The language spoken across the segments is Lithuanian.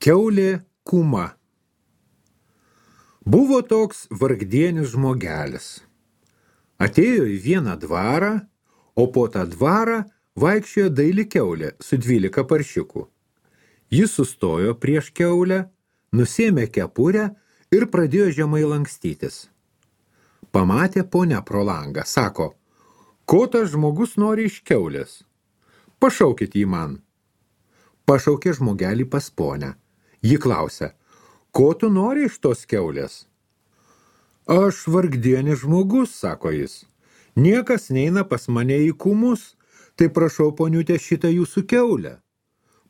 Kiaulė Kuma. Buvo toks vargdienis žmogelis. Atėjo į vieną dvarą, o po tą dvarą vaikščiojo daili kiaulė su 12 paršiukų. Jis sustojo prieš kiaulę, nusėmė kepurę ir pradėjo žemai lankstytis. Pamatė ponia pro langą, sako, ko tas žmogus nori iš kiaulės? Pašaukit jį man. Pašaukė žmogelį pas ponę. Ji klausia, ko tu nori iš tos kiaulės? Aš vargdienis žmogus, sako jis. Niekas neina pas mane į kumus, tai prašau poniutė šitą jūsų kiaulę.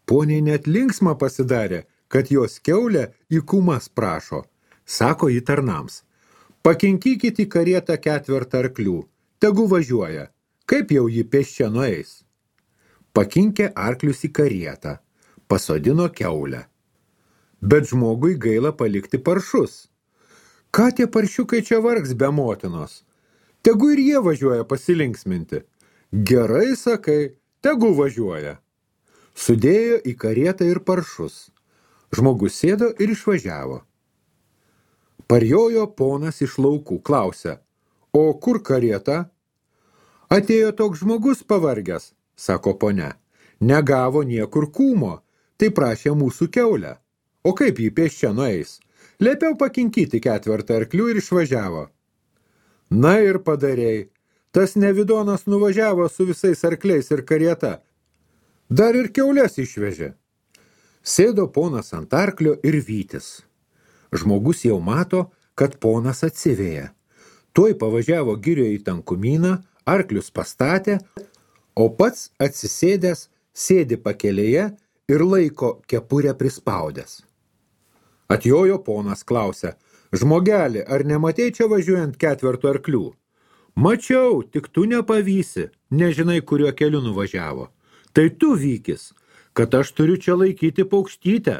Poniai net linksma pasidarė, kad jos kiaulę į kumas prašo. Sako ji tarnams, pakinkykit į karietą 4 arklių, tegu važiuoja, kaip jau ji pėsčia nueis. Pakinkė arklius į karietą, pasodino kiaulę. Bet žmogui gaila palikti paršus. Ką tie paršiukai čia vargs be motinos? Tegu ir jie važiuoja pasilinksminti. Gerai sakai, tegu važiuoja. Sudėjo į karietą ir paršus. Žmogus sėdo ir išvažiavo. Parjojo ponas iš laukų, klausia, o kur karieta? Atėjo toks žmogus pavargęs, sako ponia. Negavo niekur kūmo, tai prašė mūsų kiaulę. O kaip jį pėsčia nueis? Liepiau pakinkyti 4 arklių ir išvažiavo. Na ir padarei. Tas nevidonas nuvažiavo su visais arkliais ir karieta. Dar ir kiaulės išvežė. Sėdo ponas ant arklio ir vytis. Žmogus jau mato, kad ponas atsivėja. Tuoj pavažiavo girioje į tankumyną, arklius pastatė, o pats atsisėdęs sėdi pakelėje ir laiko kepurę prispaudęs. Atjojo ponas, klausia, žmogelį, ar nematei čia važiuojant 4 arklių? Mačiau, tik tu nepavysi, nežinai, kuriuo keliu nuvažiavo. Tai tu vykis, kad aš turiu čia laikyti paukštytę.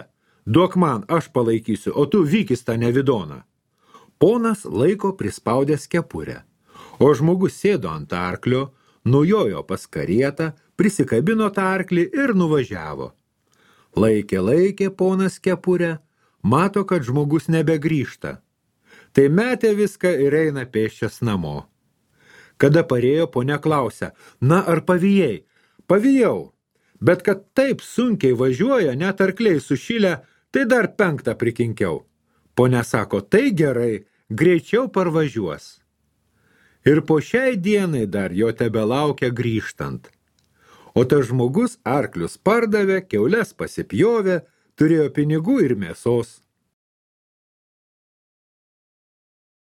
Duok man, aš palaikysiu, o tu vykis tą nevidoną. Ponas laiko prispaudęs kepurę, o žmogus sėdo ant arklio, nujojo pas karietą, prisikabino tą arklį ir nuvažiavo. Laikė ponas kepurę, mato, kad žmogus nebegrįžta. Tai metė viską ir eina pėsčias namo. Kada parėjo, ponia klausia, na ar pavijai? Pavijau, bet kad taip sunkiai važiuoja, net arkliai sušilę, tai dar 5 prikinkiau. Ponia sako, tai gerai, greičiau parvažiuos. Ir po šiai dienai dar jo tebelaukia grįžtant. O tas žmogus arklius pardavė, kiaules pasipjovė, turėjo pinigų ir mėsos.